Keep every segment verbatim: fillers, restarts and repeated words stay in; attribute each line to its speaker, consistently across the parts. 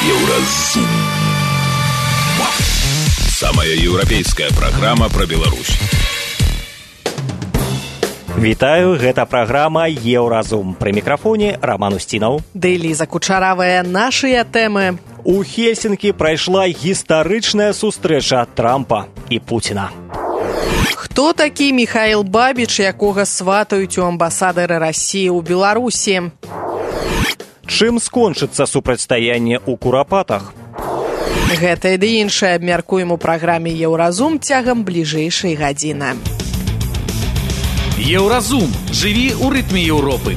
Speaker 1: Еўразум. Самая еўрапейская праграма пра Беларусь.
Speaker 2: Вітаю, гэта праграма Еўразум. Пры мікрафоне Роман Устінаў.
Speaker 3: Ды Ліза Кучаравая, нашыя тэмы.
Speaker 2: У Хельсінкі прайшла гістарычная сустрэча Трампа і Пуціна.
Speaker 3: Хто такі Міхаіл Бабіч, якога сватаюць у амбасадары Расіі ў Беларусі?
Speaker 2: Чым скончыцца супрацьстаянне ў Курапатах?
Speaker 3: Гэта і іншае абмяркуем у праграме Еўразум цягам бліжэйшай гадзіны.
Speaker 4: Еўразум. Жыві ў рытме Еўропы.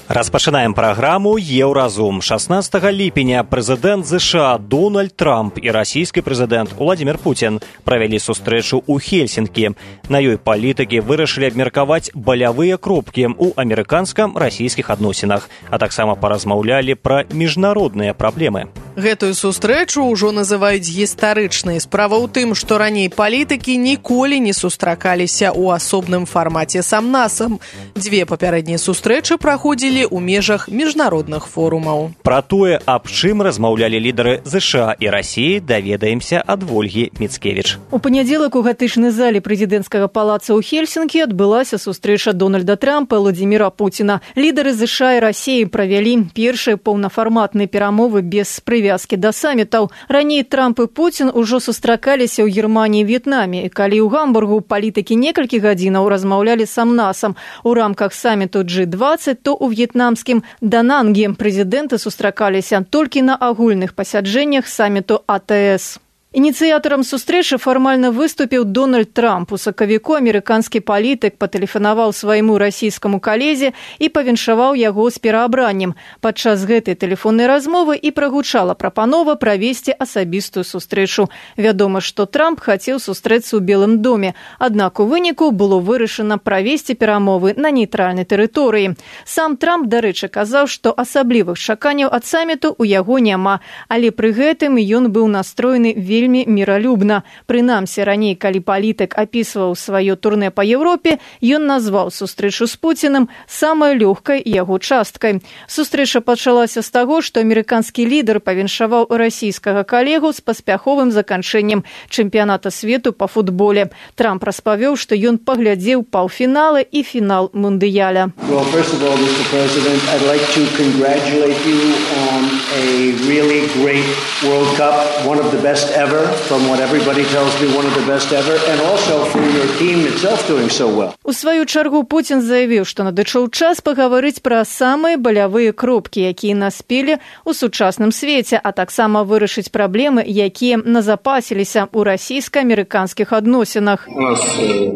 Speaker 2: Распачынаем праграму Еўразум. шаснаццатага ліпеня прэзідэнт ЗША Дональд Трамп і расійскі прэзідэнт Уладзімір Пуцін правялі сустрэчу ў Хельсінкі. На ёй палітыкі вырашылі абмеркаваць балявыя кропкі ў амерыканска-расійскіх адносінах, а таксама паразмаўлялі пра міжнародныя праблемы.
Speaker 3: Гэтую сустрэчу ўжо называюць гістарычнай. Справа ў тым, што раней палітыкі ніколі не сустракаліся ў асобным фармаце сам-насам. Дзве папярэднія сустрэчы праходзілі ў межах міжнародных форумаў.
Speaker 2: Пра тое, аб чым размаўлялі лідары ЗША і Расіі, даведаемся ад Вольгі Міцкевіч.
Speaker 5: У панядзелак у гатычнай зале прэзідэнцкага палаца ў Хельсінкі адбылася сустрэча Дональда Трампа і Владзіміра Пуціна. Лідары ЗША і Расіі правялі першыя паўнафарматныя перамовы без прывязкі да самітаў. Раней Трамп і Пуцін ужо сустракаліся ў Германіі і В'етнаме. І калі ў Гамбургу палітыкі некалькі гадзінаў размаўлялі сам-насам у рамках саміту джи дваццаць, то ў в'етнамскім Дананге прэзідэнты сустракаліся толькі на агульных пасяджэннях саміту а тэ эс. Ініцыятарам сустрэчы фармальна выступіў Дональд Трамп. У сакавіку амерыканскі палітык патэлефанаваў свайму расійскаму калезе і павіншаваў яго з пераабраннем. Падчас гэтай тэлефоннай размовы і прагучала прапанова правесці асабістую сустрэчу. Вядома, што Трамп хацеў сустрэцца ў Белым доме, аднак у выніку было вырашана правесці перамовы на нейтральнай тэрыторыі. Сам Трамп, дарэчы, казаў, што асаблівых чаканняў ад саміту ў яго няма, але пры гэтым ён быў настроены вельмі вельмі міралюбна. Прынамсі, раней, калі палітык апісваў сваё турнэ па Еўропе, ён назваў сустрэчу з Пуцінам самай лёгкай яго часткай. Сустрэча пачалася з таго, што амерыканскі лідар павіншаваў расійскага калегу з паспяховым заканчэннем чэмпіяната свету па футболе. Трамп распавёў, што ён паглядзеў паўфіналы і фінал мундыяля.
Speaker 6: Well, first of all, Mister President, I'd like to congratulate you on a really great World Cup, one of the best ever. From what everybody tells me, one of the best ever, and also for your team itself doing so well.
Speaker 5: У сваю чаргу Пуцін заявіў, што надышоў час пагаварыць пра самыя балявыя кропкі, якія наспелі ў сучасным свеце, а таксама вырашыць праблемы, якія назапасіліся ў расійска-амерыканскіх адносінах.
Speaker 7: У нас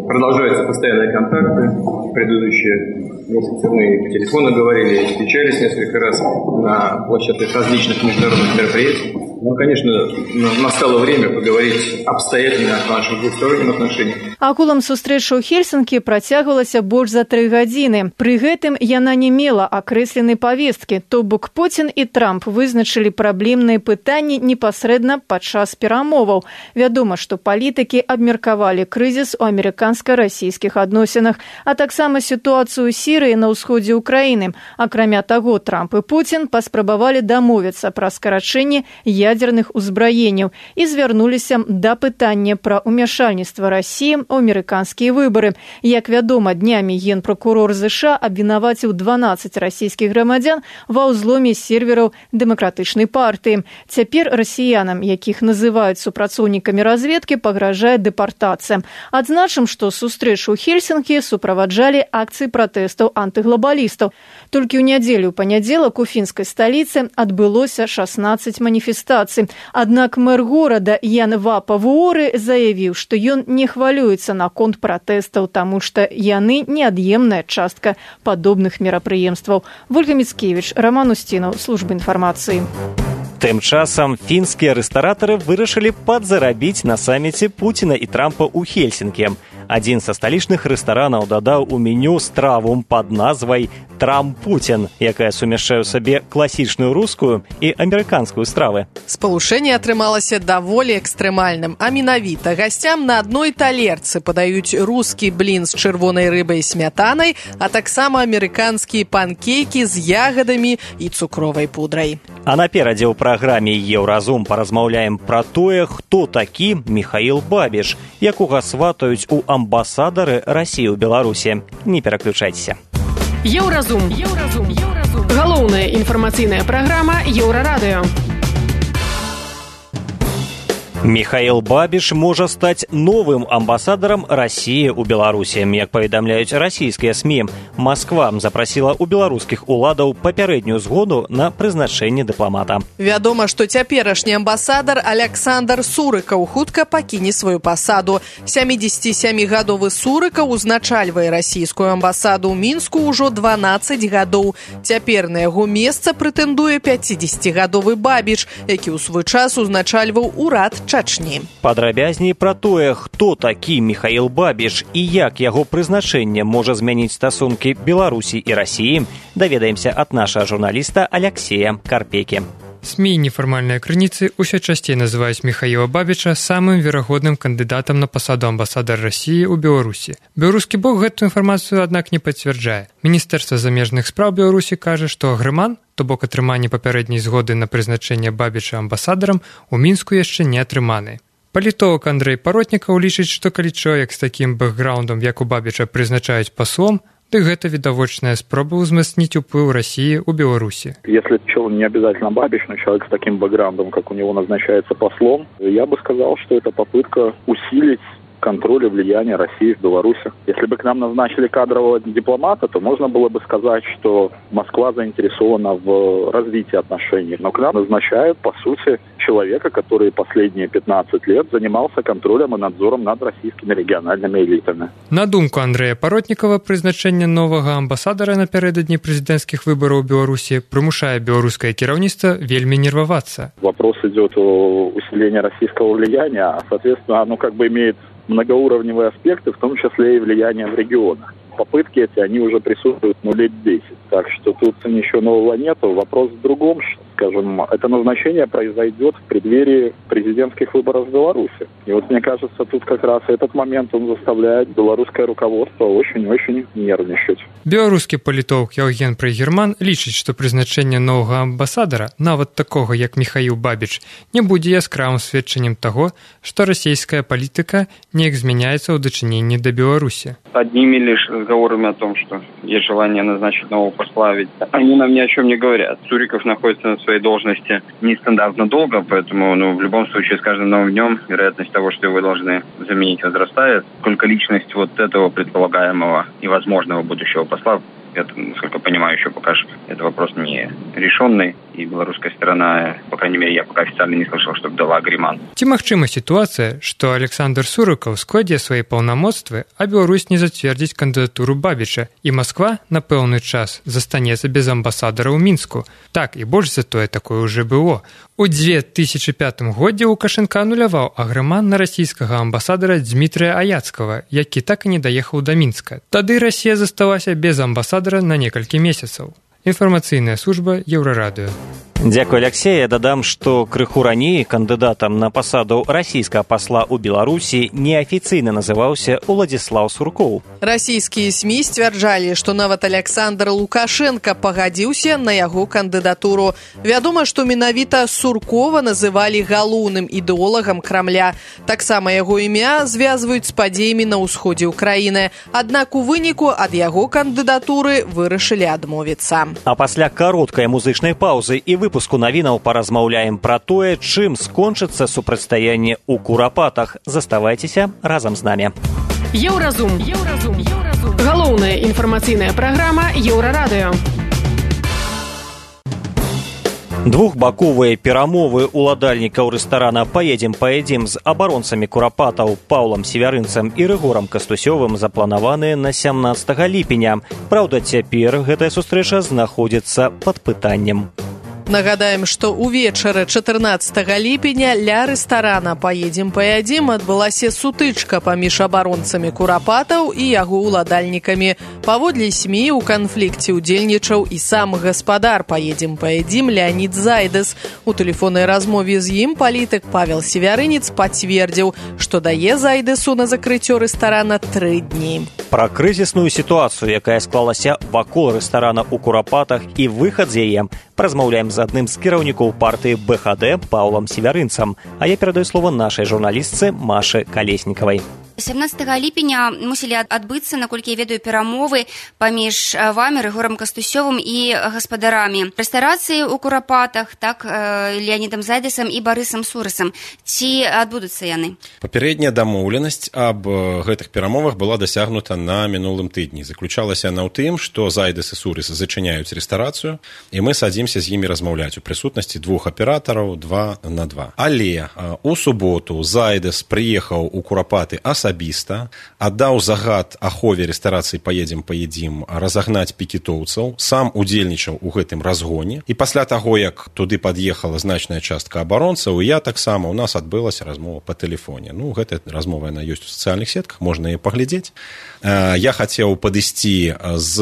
Speaker 7: продолжаются постоянные контакты. Предыдущие месяцы мы по телефону говорили, встречались несколько раз на площадках различных международных мероприятий. Ну, конечно, настало время поговорить обстоятельно о наших двухсторонних отношениях.
Speaker 5: Агулам сустрэча ў Хельсінкі працягвалася больш за тры гадзіны. Пры гэтым яна не мела акрэсленай павесткі, то бок Пуцін і Трамп вызначылі праблемныя пытанні непасрэдна падчас перамоваў. Вядома, што палітыкі абмеркавалі крызіс у амерыканска-расійскіх адносінах, а таксама сітуацыю ў Сірыі на ўсходзе ўкраіны. Акрамя таго, Трамп і Пуцін паспрабавалі дамовіцца пра скарачэнне ядзерных узбраенняў і звярнуліся да пытання пра ўмяшальніцтва Расіі ў амерыканскія выбары. Як вядома, днямі генпракурор ЗША абвінаваціў дванаццаць расійскіх грамадзян ва ўзломе сервераў дэмакратычнай партыі. Цяпер расіянам, якіх называюць супрацоўнікамі разведкі, пагражае дэпартацыя. Адзначым, што сустрэчу ў Хельсінкі суправаджалі акцыі пратэстаў антыглабалістаў. Толькі ў нядзелю ў панядзелак у фінскай сталіцы адбылося шаснаццаць маніфестацый. Аднак мэр горада Ян Вапа Вуоры заявіў, што ён не хвалюецца наконт пратэстаў, таму што яны неад'емная частка падобных мерапрыемстваў. Вольга Міцкевіч, Роман Устінаў, служба інфармацыі.
Speaker 2: Тым часам фінскія рэстаратары вырашылі падзарабіць на саміце Пуціна і Трампа ў Хельсінкі. Адзін са сталічных рэстаранаў дадаў у меню страву пад назвай «Трамп-Путін», якая сумяшчае ў сабе класічную рускую і амерыканскую стравы.
Speaker 3: Спалучэнне атрымалася даволі экстрэмальным, а менавіта гасцям на адной талерцы падаюць рускі блін з чырвонай рыбай і смятанай, а таксама амерыканскія панкейкі з ягадамі і цукровай пудрай.
Speaker 2: А наперадзе ў праграме «Еўразум» паразмаўляем пра тое, хто такі Міхаіл Бабіш, якога сватаюць у амбасадары Расіі ў Беларусі. Не пераключайцеся.
Speaker 8: Еўразум. Еўразум. Еўразум. Галоўная інфармацыйная праграма Еўрарадыё.
Speaker 2: Міхаіл Бабіш можа стаць новым амбасадарам Расіі ў Беларусі. Як паведамляюць расійскія СМІ, Масква запрасіла ў беларускіх уладаў папярэднюю згоду на прызначэнне дыпламата.
Speaker 3: Вядома, што цяперашні амбасадар Аляксандр Сурыкаў хутка пакіне сваю пасаду. сямідзесяцісямігадовы Сурыкаў узначальвае расійскую амбасаду ў Мінску ўжо дванаццаць гадоў. Цяпер на яго месца прэтэндуе пяцідзесяцігадовы Бабіш, які ў свой час узначальваў урад Чачні.
Speaker 2: Падрабязней пра тое, хто такі Міхаіл Бабіш і як яго прызначэнне можа змяніць стасункі Беларусі і Расіі, даведаемся ад нашага журналіста Аляксея Карпекі.
Speaker 9: СМІ і нефармальныя крыніцы ўсё часцей называюць Міхаіла Бабіча самым верагодным кандыдатам на пасаду амбасадара Расіі ў Беларусі. Беларускі бок гэту інфармацыю, аднак, не пацвярджае. Міністэрства замежных спраў Беларусі кажа, што агрэман, то бок атрыманне папярэдняй згоды на прызначэнне Бабіча амбасадарам, у Мінску яшчэ не атрыманы. Палітолог Андрэй Паротнікаў лічыць, што калі чалавек з такім бэкграўндам, як у Бабіча, прызначаюць паслом, дык гэта відавочная спроба ўзмацніць уплыў России у Беларуси.
Speaker 10: Если человек не обязательно Бабич, но человек с таким бэкграундом, как у него назначается послом, я бы сказал, что это попытка усилить контроль и влияние России в Беларуси. Если бы к нам назначили кадрового дипломата, то можно было бы сказать, что Москва заинтересована в развитии отношений. Но к нам назначают, по сути, человека, который последние пятнадцать лет занимался контролем и надзором над российскими региональными элитами.
Speaker 9: На думку Андрея Паротникова, призначение нового амбассадора напередодні президентских выборов в Беларуси примушает белорусское кіраўніцтва вельми нервоваться.
Speaker 10: Вопрос идет о усилении российского влияния, а, соответственно, оно как бы имеет многоуровневые аспекты, в том числе и влияние в регионах. Попытки эти, они уже присутствуют ну, лет десять. Так что тут ничего нового нету. Вопрос в другом, скажем, это назначение произойдет в преддверии президентских выборов в Беларуси. И вот мне кажется, тут как раз этот момент, он заставляет белорусское руководство очень-очень нервничать.
Speaker 9: Белорусский политолог Евген Прайгерман лічыць, што прызначэнне новага амбасадара, нават такога, як Міхаіл Бабіч, не будзе яскравым сведчаннем таго, што расійская палітыка неяк змяняецца ў дачыненні да Беларусі.
Speaker 11: Одними лишь разговорами о том, что есть желание назначить нового посла, ведь они нам ни о чем не говорят. Суриков находится на своей должности нестандартно долго, поэтому ну, в любом случае с каждым новым днем вероятность того, что его должны заменить, возрастает. Только личность вот этого предполагаемого и возможного будущего посла, это, насколько понимаю, еще пока что это вопрос не решенный, и белорусская сторона, по крайней мере, я пока официально не слышал, чтобы дала агрэман.
Speaker 9: Ці магчыма ситуация, что Александр Сурыкаў складзе свои полномоцтвы, а Беларусь не зацвердзіць кандидатуру Бабіча, и Москва на пэўны час застанецца без амбасадара ў Мінску. Так, и больше за тое такое уже было. У две тысячи пятым годзе Лукашенко ануляваў агрэман на расійскага амбасадара Дмітрыя Аяцкага, які так і не даехаў да Мінска. Тады Россия засталася без амбасадара на некалькі месяцаў. Інфармацыйная служба Еўрарадыё.
Speaker 2: Дзякуй, Алексей. Я дадам, што крыху раней кандыдатам на пасаду расійскага пасла ў Беларусі неафіцыйна называўся Уладзіслаў Суркоў.
Speaker 3: Расійскія СМІ сцвярджалі, што нават Александр Лукашенко пагадзіўся на яго кандыдатуру. Вядома, што менавіта Суркова называлі галоўным ідэолагам Крамля. Таксама яго імя звязваюць з падзеямі на ўсходзе ўкраіны. Аднак у выніку ад яго кандыдатуры вырашылі адмовіцца.
Speaker 2: А пасля кароткай музычнай паўзы і выпуску навінаў паразмаўляем пра тое, чым скончыцца супрацьстаянне ў Курапатах. Заставайцеся разам з намі.
Speaker 8: Еўразум. Еўразум. Еўразум. Галоўная інфармацыйная праграма Еўрарадыё.
Speaker 2: Двухбаковыя перамовы уладальнікаў рэстарана «Паедзем, паедзем» з абаронцамі Курапатаў Паўлам Севярынцам і Рыгорам Кастусёвым запланаваныя на сямнаццатага ліпеня. Праўда, цяпер гэтая сустрэча знаходзіцца пад пытаннем.
Speaker 3: Нагадаем, што ўвечары чатырнаццатага ліпеня ля рэстарана «Поедем, поядзім» адбылася сутычка паміж абаронцамі Курапатаў і яго ўладальнікамі. Паводле СМІ у канфлікце ўдзельнічаў і сам гаспадар «Поедем, поядзім» Леонид Зайдэс. У тэлефоннай размове з ім палітык Павел Севярынец пацвердзіў, што дае Зайдэсу на закрыццё рэстарана тры дні.
Speaker 2: Пра крызісную сітуацыю, якая склалася вакол рэстарана ў Курапатах і выхад з яе, размаўляем з адным з кіраўнікоў партыі бэ ха дэ Паўлам Севярынцам. А я перадаю слова нашай журналістцы Машы Калеснікавай.
Speaker 12: сямнаццатага ліпеня мусілі адбыцца, наколькі я ведаю, перамовы паміж вамі, Рыгорам Кастусёвым і гаспадарамі рэстарацыі ў Курапатах, так, Леонідам Зайдэсам і Барысам Сурысам. Ці адбудуцца яны?
Speaker 13: Папярэдняя дамоўленасць аб гэтых перамовах была дасягнута на мінулым тыдні. Заключалася яна ў тым, што Зайдэс і Сурыс зачыняюць рэстарацыю, і мы садзімся з імі размаўляць у прысутнасці двух аператараў два на два. Але у суботу Зайдэс прыехаў у Курапаты асабіста, аддаў загад ахове рэстарацыі «Поедем, поедим» разагнаць пікетоўцаў, сам удзельнічаў у гэтым разгоне. І пасля таго, як туды пад'ехала значная частка абаронцаў, я таксама, у нас адбылася размова па тэлефоне. Ну, гэтая размова, яна ёсць у сацыяльных сетках, можна яе паглядзець. Я хацеў падысці з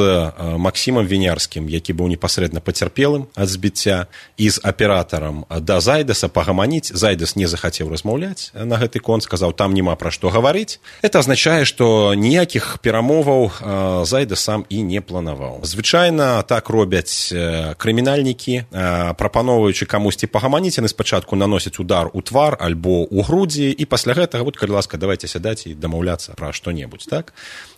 Speaker 13: Максімам Вінярскім, які быў непасрэдна пацярпелым ад збіцця, і з аператарам да Зайдэса пагаманіць. Зайдэс не захацеў размаўляць на гэты конт, сказаў, там няма пра што гаварыць. Это означае, што ніякіх перамоваў Зайдэс сам і не планаваў. Звычайна так робяць крымінальнікі, прапаноўваючы камусьці пагаманіць, яны спачатку наносяць удар у твар альбо ў грудзі, і пасля гэтага, вот, калі ласка, давайте сядаць і дамаўляцца пра што-небудзь, так?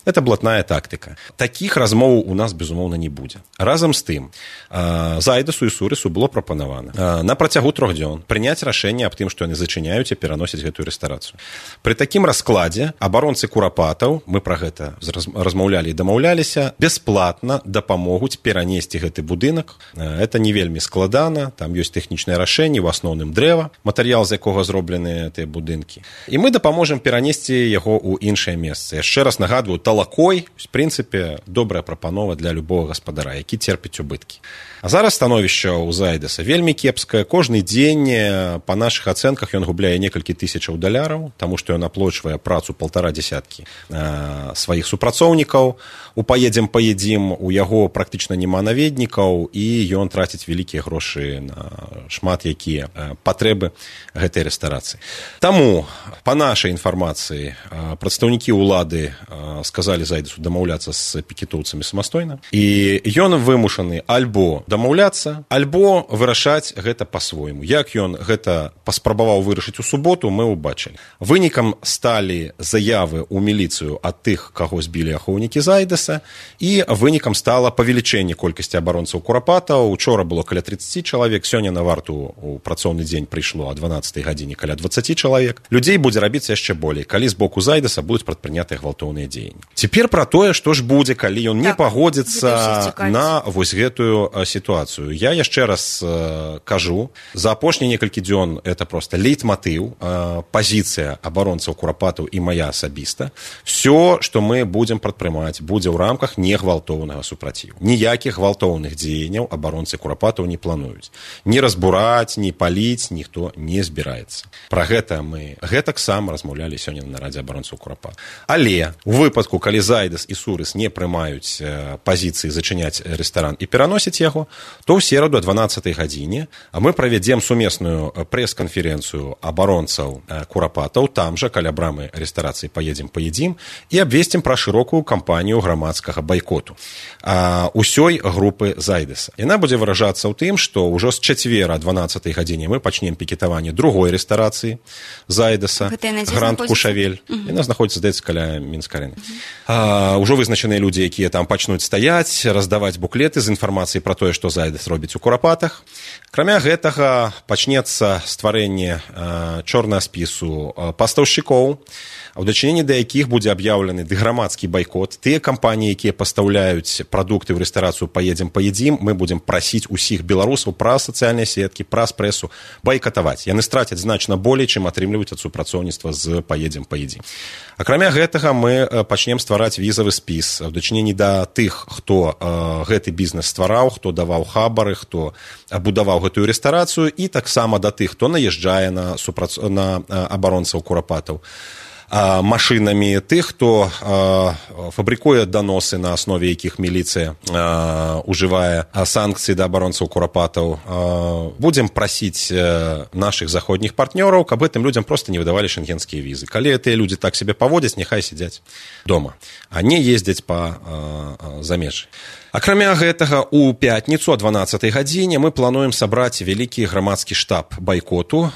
Speaker 13: Это блатная тактыка. Такіх размоваў у нас, безумоўна, не будзе. Разам з тым, Зайдэсу і Сурысу было прапанавана на працягу трох дзён прыняць рашэнне аб тым, што яны зачыняюць і пераносяць гэтую рэстарацыю. Пры такім раскладзе абаронцы Курапатаў, мы пра гэта размаўлялі і дамаўляліся, бясплатна дапамогуць перанесці гэты будынак. Это не вельмі складана, там ёсць тэхнічныя рашэнні, у асноўным дрэва, матэрыял, з якога зроблены тыя будынкі. І мы дапаможам перанесці яго ў іншае месца. Яшчэ раз нагадваю, талакой, в прынцыпе, добрая прапанова для любого гаспадара, які церпіць убыткі. А зараз становішча ў Зайдэса вельмі кепскае. Кожны дзень, па нашых ацэнках, ён губляе некалькі тысячаў даляраў, таму што ён аплочвае працу паўтара дзясяткі сваіх супрацоўнікаў. У «Поедем, поедим» у яго практычна няма наведнікаў, і ён траціць вялікія грошы на шмат якія патрэбы гэтай рэстарацыі. Таму, па нашай інфармацыі, прадстаўнікі ўлады сказалі Зайдэсу дамаўляцца з пікетоўцамі самастойна, і ён вымушаны альбо дамаўляцца, альбо вырашаць гэта па-свойму. Як ён гэта паспрабаваў вырашыць у суботу, мы ўбачылі. Вынікам сталі заявы ў міліцыю ад тых, каго збілі ахоўнікі Зайдэса, і вынікам стала павелічэнне колькасці абаронцаў Курапатаў. Учора было каля тридцать чалавек, сёння на варту у працоўны дзень прыйшло а дванаццатай гадзіне каля двадцать чалавек. Людзей будзе рабіцца яшчэ болей, калі з боку Зайдэса будуць прадпрынятыя гвалтоўныя дзеянні. Цяпер пра тое, што ж будзе, калі ён не пагодзіцца на вось гэтую сітуацыю. Я яшчэ раз э, кажу, за апошнія некалькі дзён это просто лейтматыў, э, пазіцыя абаронцаў Курапатаў і мая асабіста. Всё, што мы будзем прадпрымаць, будзе ў рамках негвалтоўнага супраціву. Ніякіх гвалтоўных дзеянняў абаронцы Курапатаў не плануюць. Ні разбураць, ні паліць ніхто не збіраецца. Пра гэта мы гэтак сам размаўлялі сёння на нарадзе абаронцаў Курапатаў. Але у выпадку, калі Зайдэс і Сурыс не прымаюць э, пазіцыі зачыняць рэстаран і пераносіць яго, то ў сераду о дванаццатай гадзіне мы правядзем сумесную прэс-канферэнцыю абаронцаў Курапатаў, там жа, каля брамы рэстарацыі «Поедем, поедим», і абвесцім пра шырокую кампанію грамадскага байкоту а, усёй групы Зайдэса. Яна будзе выражацца ў тым, што ўжо з чацвера о дванаццатай гадзіне мы пачнем пікетаванне другой рэстарацыі Зайдэса, Гранд Кушавель. Угу. Яна знаходзіцца, здаецца, каля Мінск-арэны. А, ўжо вызначаныя людзі, якія там пачнуць стаяць, раздаваць буклеты з інфармацыяй пра тое, што Зайдэс робіць у Курапатах. Акрамя гэтага пачнецца стварэнне а, чорнага спісу а, пастаўшчыкоў, у дачыненні да якіх будзе аб'яўлены грамадскі байкот. Тыя кампаніі, якія пастаўляюць прадукты ў рэстарацыю «Паедзем, паедзім», мы будзем прасіць усіх беларусаў праз сацыяльныя сеткі, праз прэсу байкатаваць. Яны страцяць значна болей, чым атрымліваюць ад супрацоўніцтва з «Паедзем, паедзім». Акрамя гэтага мы пачнем ствараць візавы спіс у дачыненні да тых, хто э, гэты бізнес ствараў, хто даваў хабары, хто будаваў гэтую рэстарацыю, і таксама да тых, хто наязджае на, супрац... на абаронцаў курапатаў машынамі, тых, хто фабрыкуе даносы, на аснове якіх міліцыя ужывае санкцыі да абаронцаў курапатаў. Будзем прасіць нашых заходніх партнёраў, каб гэтым людзям проста не выдавалі шенгенскія візы. Калі гэтыя людзі так сябе паводзяць, няхай сядзяць дома, а не ездзяць па замежжы. Акрамя гэтага, у пятніцу о дванаццатай гадзіне мы плануем сабраць вялікі грамадскі штаб байкоту.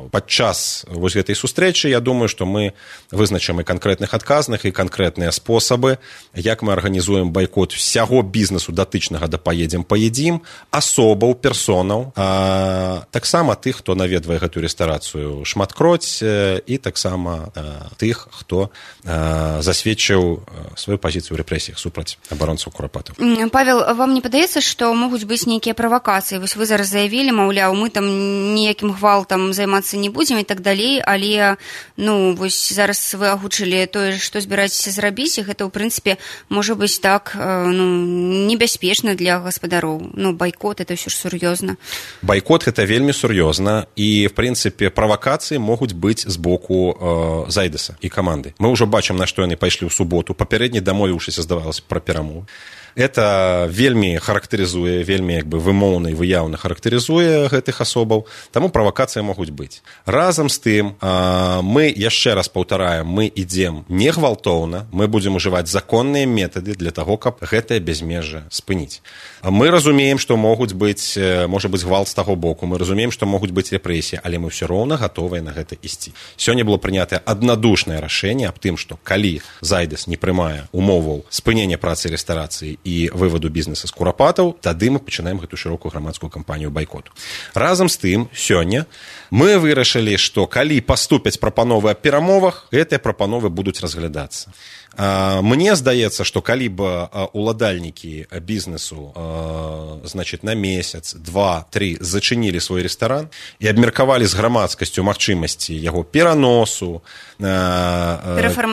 Speaker 13: Падчас вось гэтай сустрэчы, я думаю, што мы вызначым і канкрэтных адказных, і канкрэтныя спосабы, як мы арганізуем байкот усяго бізнесу датычнага да «Паедзем, паедзім», асобаў, персонаў, а таксама тых, хто наведвае гэтую рэстарацыю шматкроць, і таксама тых, хто засведчыў сваю пазіцыю ў рэпрэсіях супраць абаронцаў курапатаў.
Speaker 12: Павел, вам не падаецца, што могуць быць нейкія правакацыі? Вось вы зараз заявілі, маўляў, мы там ніякім гвалтам займацца не будзем і так далей, але ну вось зараз вы агучылі тое, што збіраецеся зрабіць, і гэта ў прынцыпе можа быць так ну небяспечна для гаспадароў. Ну байкот это ўсё ж сур'ёзна.
Speaker 13: Байкот гэта вельмі сур'ёзна, і в прынцыпе правакацыі могуць быць з боку э, Зайдэса і каманды. Мы ўжо бачым, на што яны пайшлі ў суботу, папярэдне дамовіўшыся, здавалася, пра перамовы. Это вельмі характарызуе, вельмі як бы вымоўна і выяўна характарызуе гэтых асобаў, таму правакацыі могуць быць. Разам з тым, мы, яшчэ раз паўтараем, мы ідзем не гвалтоўна, мы будзем ужываць законныя метады для таго, каб гэтае бязмежжа спыніць. Мы разумеем, што могуць быць, можа быць гвалт з таго боку, мы разумеем, што могуць быць рэпрэсіі, але мы ўсё роўна гатовыя на гэта ісці. Сёння было прынятае аднадушнае рашэнне аб тым, што калі Зайдэс не прымае умоваў спынення працы рэстарацыі і вываду бізнеса з курапатаў, тады мы пачынаем гэту шырокую грамадскую кампанію байкоту. Разам з тым, сёння мы вырашылі, што калі паступяць прапановы аб перамовах, гэтыя прапановы будуць разглядацца. Мне здаецца, што калі б уладальнікі бізнесу значит, на месяц, два, тры зачынілі свой рэстаран і абмеркавалі з грамадскасцю магчымасці яго пераносу,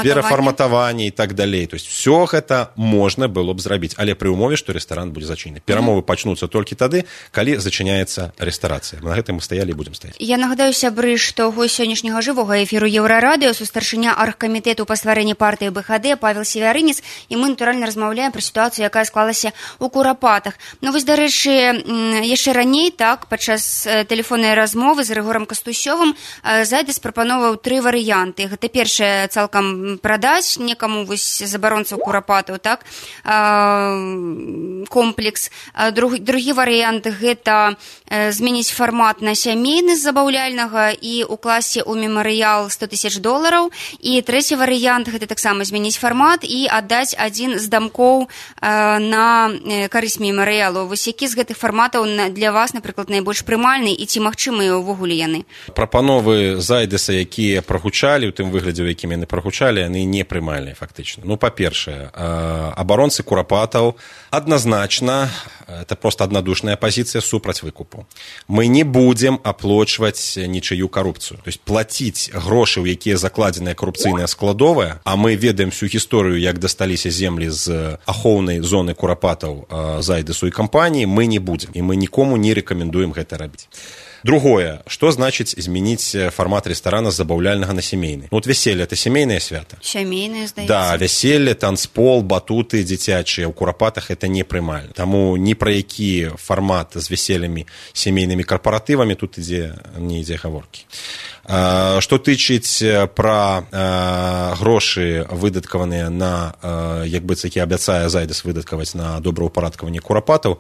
Speaker 13: перафарматавання і так далей. То есть все гэта можна было б зрабіць, але пры ўмове, што рэстаран будзе зачынены. Перамовы пачнуцца толькі тады, калі зачыняецца рэстарацыя. На гэтым мы стаялі і будзем стаяць.
Speaker 12: Я нагадаю, сябры, што гость сённяшняга жывога эфіру Еўрарадыё, сустарчыня аргкамітэту па стварэнні партыі БХД Павел Севярынец, і мы натуральна размаўляем пра сітуацыю, якая склалася ў курапатах. Ну вось, дарэчы, яшчэ раней, так, падчас тэлефоннай размовы з Рыгорам Кастусёвым Зайдэс прапановаў тры варыянты. Гэта першае, цалкам прадаць некаму вось забаронцаў курапатаў, так, комплекс. Друг, другі варыянт гэта змяніць фармат на сямейны з забаўляльнага і укласці ў мемарыял сто тысяч долараў. І трэці варыянт гэта таксама змяніць фармат і аддаць адзін з дамкоў на карысць мемарыялу. Вось які з гэтых фарматаў для вас, напрыклад, найбольш прымальны і ці магчымыя ўвогуле яны?
Speaker 13: Прапановы Зайдэса, якія прагучалі, у тым выглядзе, у якім яны прагучалі, яны не прымальныя фактычна. Ну, па-першае, абаронцы курапатаў адназначна, это просто аднадушная пазіцыя супраць выкупу. Мы не будзем аплочваць нічыю карупцыю. То есть плаціць грошы, у якія закладзеная карупцыйная складовая, а мы ведаем всю гісторыю, як дасталіся землі з ахоўнай зоны курапатаў Зайдэсу і кампаніі, мы не будзем. І мы нікому не рэкамендуем гэта рабіць. Другое, што значыць змяніць фармат рэстарана з забаўляльнага на сямейны? Ну, вот вяселле – это сямейнае свята.
Speaker 12: Сямейнае, здаецца.
Speaker 13: Да, вяселле, танцпол, батуты дзіцячыя. У курапатах это не прымальна. Таму ні пра які фармат з вяселлямі, сямейнымі карпаратывамі тут ідзе, не ідзе гаворкі. Што тычыць пра грошы, выдаткаваныя на, як быццам, які абяцае Зайдэс выдаткаваць на добраўпарадкаванне курапатаў,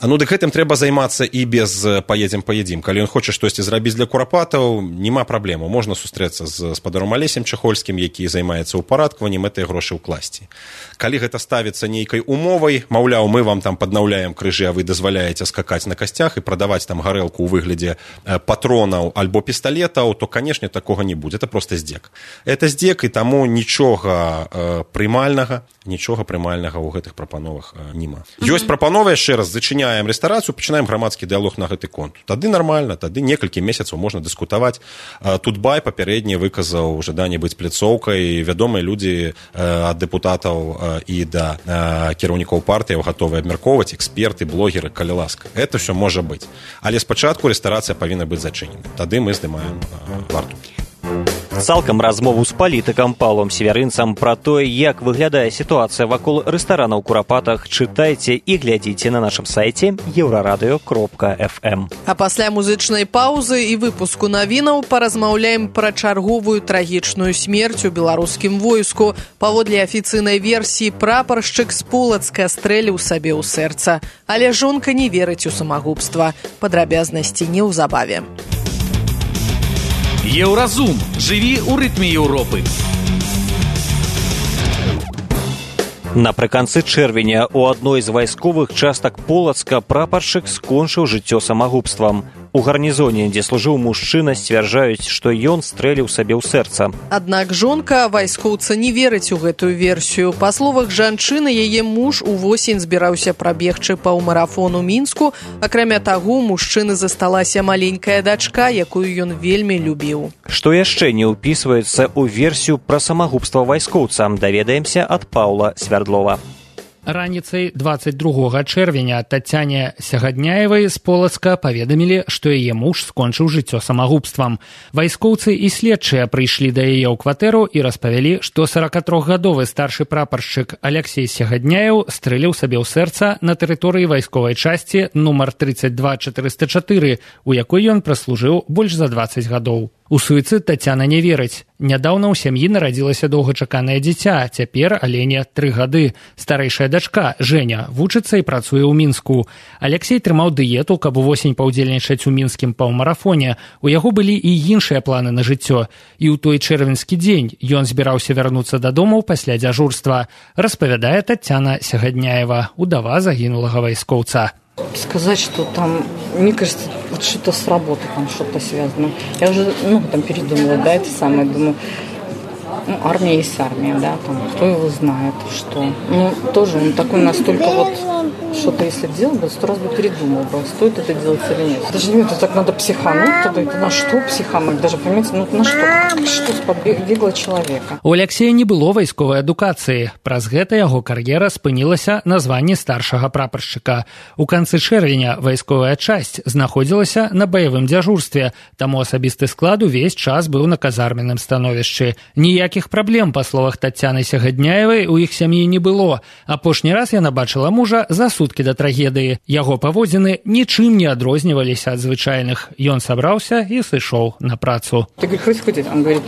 Speaker 13: Ну, дык гэтым трэба займацца і без «паедзем, паедзім». Калі ён хоча штосьці зрабіць для курапатаў, няма праблему. Можна сустрэцца з спадаром Алесем Чахольскім, які займаецца ўпарадкаваннем, гэтыя грошы ўкласці. Калі гэта ставіцца нейкай умовай, маўляў, мы вам там паднаўляем крыжы, а вы дазваляеце скакаць на касцях і прадаваць там гарэлку ў выглядзе патронаў альбо пісталетаў, то, канешне, такога не будзе. Это просто здзек. Это здзек, і таму нічога э, прымальнага, нічога прымальнага ў гэтых прапановах э, нема. Mm-hmm. Ёсць прапанова, яшчэ раз, зачыняем рэстарацыю, пачынаем грамадскі дыялог на гэты конт. Тады нармальна, тады некалькі месяцаў можна дыскутаваць. Э, Тутбай папярэдне выказаў жаданне быць пляцоўкай, вядомыя людзі э, ад дэпутатаў э, і да э, кіраўнікоў партыяў гатовы абмяркоўваць, эксперты, блогеры, калі ласка. Это ўсё можа быць. Але спачатку рэстарацыя павінна быць зачынена. Тады мы здымаем э, варту.
Speaker 2: Цалкам размову з палітыкам Паўлом Севярынцам пра тое, як выглядае сітуацыя вакол рэстаранаў у Курапатах, чытайце і глядзіце на нашым сайце еўрарадыё кропка эф эм.
Speaker 3: А пасля музычнай паўзы і выпуску навінаў паразмаўляем пра чарговую трагічную смерць у беларускім войску. Паводле афіцыйнай версіі, прапаршчык з Полацка стрэліў сабе ў сэрца. Але жонка не верыць у самагубства. Падрабязнасці неўзабаве.
Speaker 4: Еўразум. Жыві ў рытме Еўропы.
Speaker 2: Напрыканцы чэрвеня у адной з вайсковых частак Полацка прапаршчык скончыў жыццё самагубствам. У гарнізоне, дзе служыў мужчына, сцвярджаюць, што ён стрэліў сабе ў сэрца.
Speaker 3: Аднак жонка вайскоўца не верыць у гэтую версію. Па словах жанчыны, яе муж увосень збіраўся прабегчы паўмарафон у Мінску. Акрамя таго, у мужчыны засталася маленькая дачка, якую ён вельмі любіў.
Speaker 2: Што яшчэ не ўпісваецца ў версію пра самагубства вайскоўца, даведаемся ад Паўла Свярдлова.
Speaker 14: Раніцай дваццаць другога чэрвеня Тацяне Сягадняевай з Полацка паведамілі, што яе муж скончыў жыццё самагубствам. Вайскоўцы і следчыя прыйшлі да яе ў кватэру і распавялі, што сорокатрохгадовы старшы прапаршчык Алексей Сягадняеў стрэліў сабе ў сэрца на тэрыторыі вайсковай часці нумар тридцать два четыреста четыре, у якой ён праслужыў больш за дваццаць гадоў. У суіцыд Тацяна не верыць. Нядаўна ў сям'і нарадзілася доўгачаканае дзіця, цяпер Алене тры гады. Старэйшая дачка, Жэня, вучыцца і працуе ў Мінску. Алексей трымаў дыету, каб увосень паўдзельнічаць у мінскім паўмарафоне. У яго былі і іншыя планы на жыццё. І ў той чэрвеньскі дзень ён збіраўся вярнуцца дадому пасля дзяжурства. Распавядае Тацяна Сягадняева, удава загінулага вайскоўца.
Speaker 15: Сказать, что там, мне кажется, вот что-то с работы там что-то связано. Я уже, ну, там передумала, да, это самое, думаю, ну, армия есть армия, да, там, кто его знает, что. Ну, тоже он такой настолько вот, что-то если делал бы, сто раз бы передумал бы, стоит это делать или нет. Даже не это так надо психануть тогда, это на что психануть, даже, понимаете, ну, на что, что сподвигло человека.
Speaker 14: У Алексея не было вайсковай адукацыі, праз гэта яго кар'ера спынілася на званні старшага прапаршчыка. У канцы чэрвеня вайсковая часць знаходзілася на баявым дзяжурстве, таму асабісты склад увесь час быў на казарменным становішчы. Ніякіх праблем, па словах Тацяны Сягадняевай, у іх сям'і не было. Апошні раз яна бачыла мужа за суткі да трагедыі. Яго паводзіны нічым не адрозніваліся ад звычайных. Ён сабраўся і сышоў на працу.
Speaker 15: Ты говоришь, хоть худеть? Он говорит,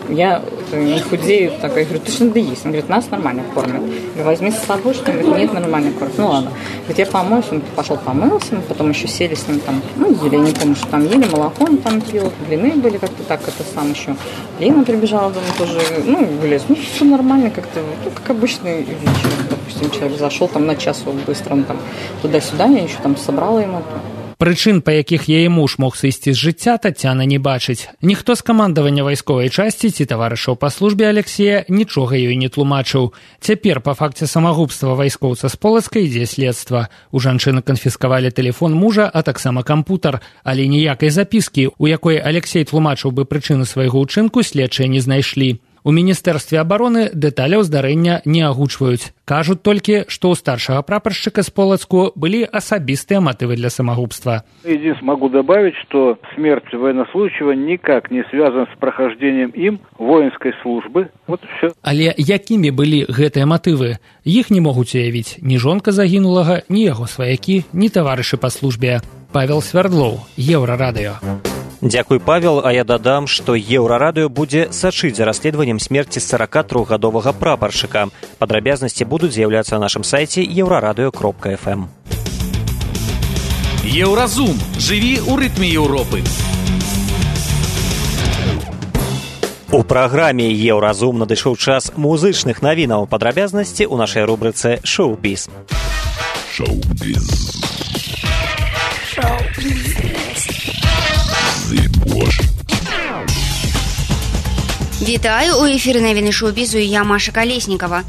Speaker 15: я не худею. Так, я говорю, ты что надо есть? Он говорит, нас нормально кормят. Я говорю, возьми с собой, что он говорит, нет, нормально кормят. Ну ладно. Говорит, я помоюсь. Он пошел помылся, мы потом еще сели с ним там, ну, ели, я не помню, что там ели, молоко он там пил, блины были как-то так, это сам еще. Лена прибежала дома тоже, ну, вылез. Ну, все нормально как-то, ну, как обычный вечер. Допустим, человек зашел там на час быстро, он там туда-сюда, я еще там собрала ему.
Speaker 14: Прычын, па якіх яе муж мог сысці з жыцця, Тацяна не бачыць. Ніхто з камандавання вайсковай часці ці таварышаў па службе Алексея нічога ёй не тлумачыў. Цяпер па факце самагубства вайскоўца з Полацка ідзе следства. У жанчыны канфіскавалі тэлефон мужа, а таксама кампутар, але ніякай запіскі, у якой Алексей тлумачыў бы прычыны свайго ўчынку, следчыя не знайшлі. У Міністэрстве абароны дэталяў здарэння не агучваюць. Кажуць толькі, што ў старшага прапаршчыка з Полацку былі асабістыя матывы для самогубства.
Speaker 16: Единственное, могу добавить, что смерть военнослужащего никак не связана с прохождением им воинской службы. Вот и все.
Speaker 14: Але якімі былі гэтыя матывы? Іх не могуць уявіць ні жонка загінулага, ні яго сваякі, ні таварышы па службе. Павел Свярдлоў, Еўрарадыё.
Speaker 2: Дзякуй, Павел, а я дадам, што Еўрарадыё будзе сачыць за расследаваннем смерці сорокатрохгадовага прапаршчыка. Падрабязнасці будуць з'яўляцца на нашым сайце еўрарадыё кропка эф эм.
Speaker 4: Еўразум. Жыві ў рытме Еўропы.
Speaker 2: У праграме «Еўразум» надышоў час музычных навінаў. Падрабязнасці ў нашай рубрыцы «Шоу-біз».
Speaker 1: Шоу-біз.
Speaker 12: Вітаю, у эфіры навіны шоу-бізу, я Маша Калеснікава.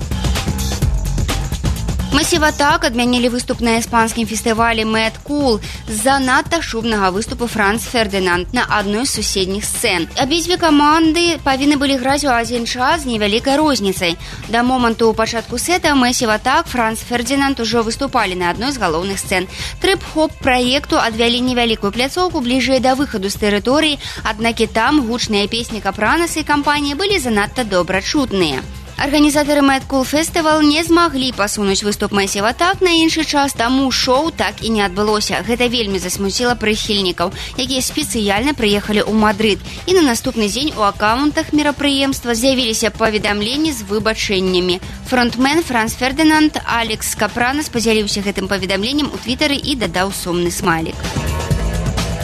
Speaker 12: Масіва так адмянілі выступ на іспанскім фестывалі Мэд Кул з-за надта шумнага выступу Франц Фердынанд на адной з суседніх сцэн. Абедзве каманды павінны былі граць у адзін час з невялікай розніцай. Да моманту пачатку сета Масіва так, Франц Фердынанд ужо выступалі на адной з галоўных сцэн. Трып-хоп праекту адвялі невялікую пляцоўку бліжэй да выхаду з тэрыторыі, аднак і там гучныя песні Капранаса і кампаніі былі занадта добра чутныя. Арганізатары Мэд Кул Фестывал не змаглі пасунуць выступ Масіва так на іншы час, таму шоу так і не адбылося. Гэта вельмі засмуціла прыхільнікаў, якія спецыяльна прыехалі ў Мадрыд. І на наступны дзень у акаунтах мерапрыемства з'явіліся паведамленні з выбачэннямі. Фронтмен Франц Фердынанд Алекс Капранас падзяліўся гэтым паведамленнем у твітары і дадаў сумны смайлік.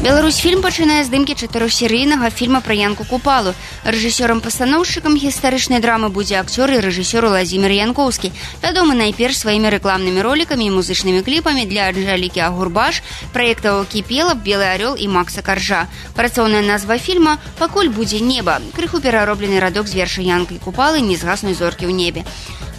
Speaker 12: Беларусьфільм пачынае здымкі чатырохсерыйнага фільма пра Янку Купалу. Рэжысёрам-пастаноўшчыкам гістарычнай драмы будзе акцёр і рэжысёр Уладзімір Янкоўскі, вядомы найперш сваімі рэкламнымі ролікамі і музычнымі кліпамі для Анжэлікі Агурбаш, праектаў Кіпела, Белы арёл і Макса Каржа. Працоўная назва фільма «Пакуль будзе неба». Крыху перароблены радок з верша Янкі Купалы «Не згаснуй зоркі ў небе».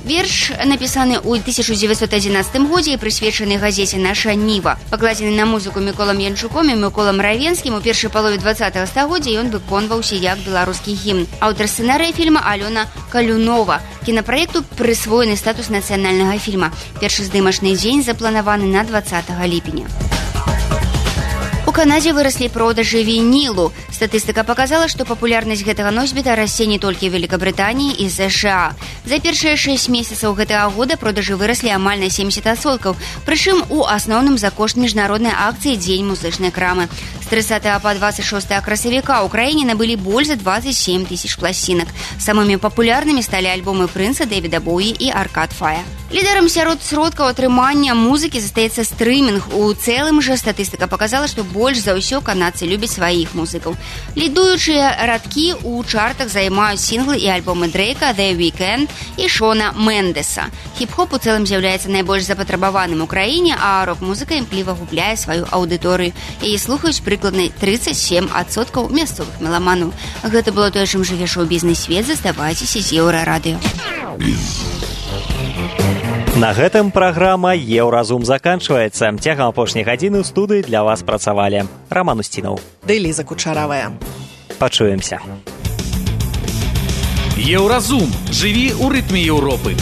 Speaker 12: Верш напісаны ў тысяча дзевяцьсот адзінаццатым годзе і прысвечаны газеце «Наша Ніва». Пакладзены на музыку Міколам Янчуком і Міколам Равенскім у першай палове двадцатага стагоддзя, ён выконваўся як беларускі гімн. Аўтар сцэнарыя фільма Алёна Калюнова. Кінапраекту прысвоены статус нацыянальнага фільма. Першы здымачны дзень запланаваны на двадцатага ліпеня. У Канадзе выраслі продажы вінілу. Статыстыка показала, што папулярнасць гэтага носьбіта расце не толькі ў Великабрытаніі і США. За першыя шэсць месяцаў гэтага года продажы выраслі амаль на семьдесят адсоткаў, прычым у асноўным за кошт міжнароднай акцыі «Дзень музычнай крамы». З трыццатага па двадцать шостае красавіка ў краіне набылі больш за двадцать семь тысяч пласцінак. Самымі папулярнымі сталі альбомы Прынца, Дэвіда Боуі і Аркад Фая. Лідарам сярод сродкаў атрымання музыкі застаецца стрымінг. У цэлым жа статыстыка показала, што больш за ўсё канадцы любяць сваіх музыкаў. Лідуючыя радкі ў чартах займаюць сінглы і альбомы Дрейка, The Weeknd і Шона Мендеса. Хіп-хоп у цэлым з'яўляецца найбольш запатрабаваным у краіне, а рок-музыка імкліва губляе сваю аўдыторыю. Яе слухаюць прыкладна тридцать семь адсоткаў мясцовых меламанаў. Гэта было тое, чым жыве шоу-бізнес-свет. Заставайцеся з Еўрарадыё.
Speaker 2: На гэтым праграма «Еўразум» заканчваецца. Цягам апошняй гадзіны ў студыі для вас працавалі Раман Устінаў
Speaker 3: ды Ліза Кучаравая.
Speaker 2: Пачуемся.
Speaker 4: Еўразум. Жыві ў рытме Еўропы.